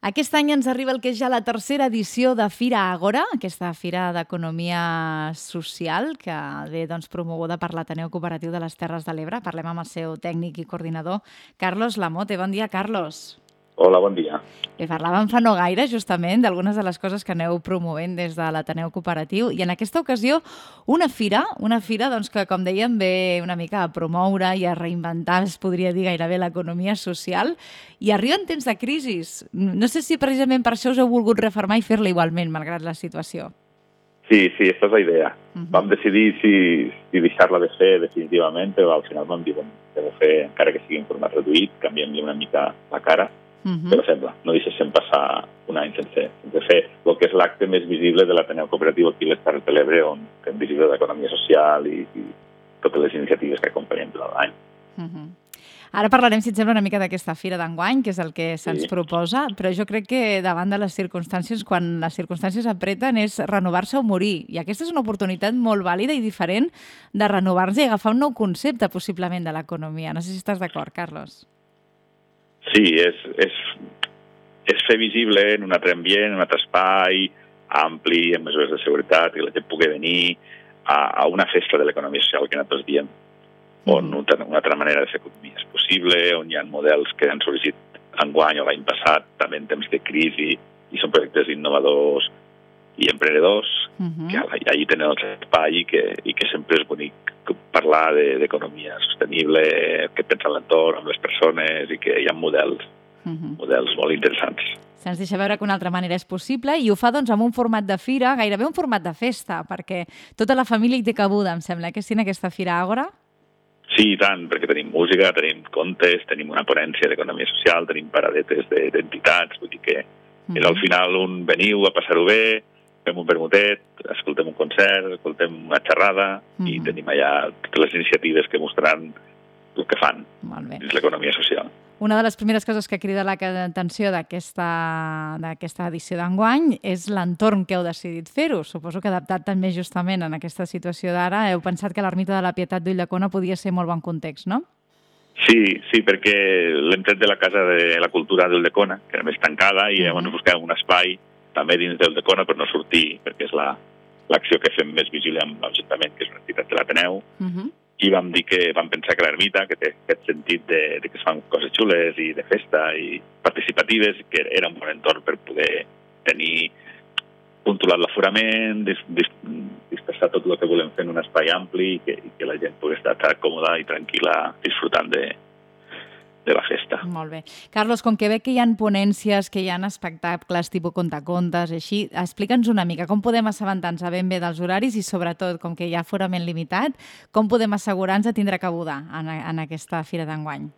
Aquest any ens arriba el que és ja la tercera edició de Fira Àgora, aquesta fira d'economia social que ve promoguda per l'Ateneu Cooperatiu de les Terres de l'Ebre. Parlem amb el seu tècnic i coordinador, Carlos Lamote. Bon dia, Carlos. Hola, bon dia. Parlàvem fa no gaire, justament, d'algunes de les coses que aneu promovent des de l'Ateneu Cooperatiu i en aquesta ocasió una fira que, com dèiem, ve una mica a promoure i a reinventar, es podria dir gairebé, l'economia social i arriba en temps de crisi. No sé si precisament per això us heu volgut refermar i fer-la igualment, malgrat la situació. Sí, aquesta és la idea. Vam decidir si deixar-la de fer definitivament, però al final vam dir que de fer, encara que sigui en format reduït, canviem-li una mica la cara. Però sembla, no deixéssim passar un any sense fer el que és l'acte més visible de l'Ateneu Cooperatiu aquí a les Terres de l'Ebre, on fem visible l'economia social i totes les iniciatives que acompanyen durant l'any. Ara parlarem, si et sembla, una mica d'aquesta fira d'enguany, que és el que se'ns proposa, però jo crec que davant de les circumstàncies, quan les circumstàncies apreten, és renovar-se o morir. I aquesta és una oportunitat molt vàlida i diferent de renovar-se i agafar un nou concepte, possiblement, de l'economia. No sé si estàs d'acord, Carlos. Sí, és fer visible en un altre ambient, en un altre espai, ampli, amb mesures de seguretat, que la gent pugui venir a una festa de l'economia social que nosaltres diem, on una altra manera de fer economia és possible, on hi ha models que han sorgit enguany o l'any passat, també en temps de crisi, i són projectes innovadors i emprenedors, que allà tenen el espai i que sempre és bonic parlar d'economia sostenible, que pensa en l'entorn, amb les persones, i que hi ha models molt interessants. Se'ns deixa veure que una altra manera és possible i ho fa amb un format de fira, gairebé un format de festa, perquè tota la família hi té cabuda, em sembla, que sí, en aquesta Fira Àgora? Sí, i tant, perquè tenim música, tenim contes, tenim una ponència d'economia social, tenim paradetes d'entitats, vull dir que al final veniu a passar-ho bé, fem un vermutet, escoltem un concert, escoltem una xerrada i tenim allà totes les iniciatives que mostraran el que fan dins l'economia social. Una de les primeres coses que crida l'atenció d'aquesta edició d'enguany és l'entorn que heu decidit fer-ho. Suposo que adaptat també justament en aquesta situació d'ara heu pensat que l'Ermita de la Pietat d'Ulldecona podia ser molt bon context, no? Sí, perquè l'hem tret de la Casa de la Cultura d'Ulldecona, que era més tancada, i llavors buscàvem un espai també dins d'Ulldecona per no sortir, perquè és l'acció que fem més visible amb l'Ajuntament, que és una entitat de l'Ateneu, i vam pensar que l'Ermita, que té aquest sentit de que es fan coses xules i de festa i participatives, que era un bon entorn per poder tenir controlat l'aforament, dispersar tot el que volem fer en un espai ampli i que la gent pugui estar còmoda i tranquil·la disfrutant de la festa. Molt bé. Carlos, com que veig que hi ha ponències, que hi ha espectacles tipus contacontes, així, explica'ns una mica com podem assabentar-nos ben bé dels horaris i, sobretot, com que hi ha aforament limitat, com podem assegurar-nos de tindre cabuda en aquesta fira d'enguany?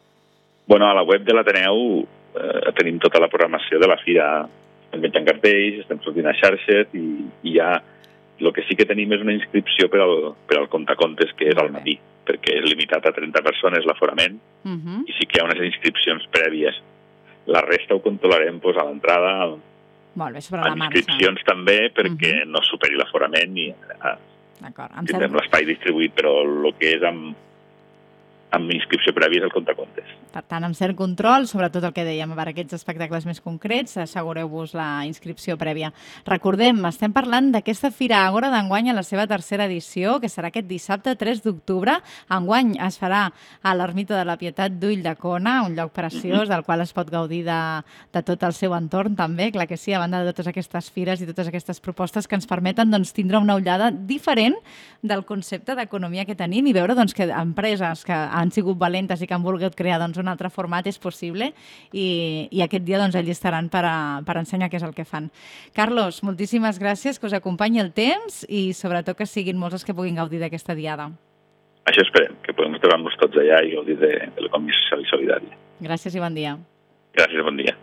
A la web de l'Ateneu tenim tota la programació de la fira. Estem penjant cartells, estem sortint a xarxes i ja el que sí que tenim és una inscripció per al contacontes, que és al matí, perquè és limitat a 30 persones l'aforament, i sí que hi ha unes inscripcions prèvies. La resta ho controlarem a l'entrada, amb inscripcions també, perquè no superi l'aforament i tindrem l'espai distribuït, però el que és amb inscripció prèvia és el contacontes. Per tant, amb cert control, sobretot el que dèiem, per aquests espectacles més concrets, assegureu-vos la inscripció prèvia. Recordem, estem parlant d'aquesta Fira Àgora d'enguany a la seva tercera edició, que serà aquest dissabte 3 d'octubre. Enguany es farà a l'Ermita de la Pietat d'Ulldecona, un lloc preciós del qual es pot gaudir de tot el seu entorn també, clar que sí, a banda de totes aquestes fires i totes aquestes propostes que ens permeten tindre una ullada diferent del concepte d'economia que tenim i veure que empreses que han sigut valentes i que han volgut crear un altre format és possible i aquest dia allí estaran per ensenyar què és el que fan. Carlos, moltíssimes gràcies, que us acompanyi el temps i sobretot que siguin molts els que puguin gaudir d'aquesta diada. Això esperem, que podem trobar-nos tots allà i gaudir de l'economia social i solidària. Gràcies i bon dia. Gràcies, bon dia.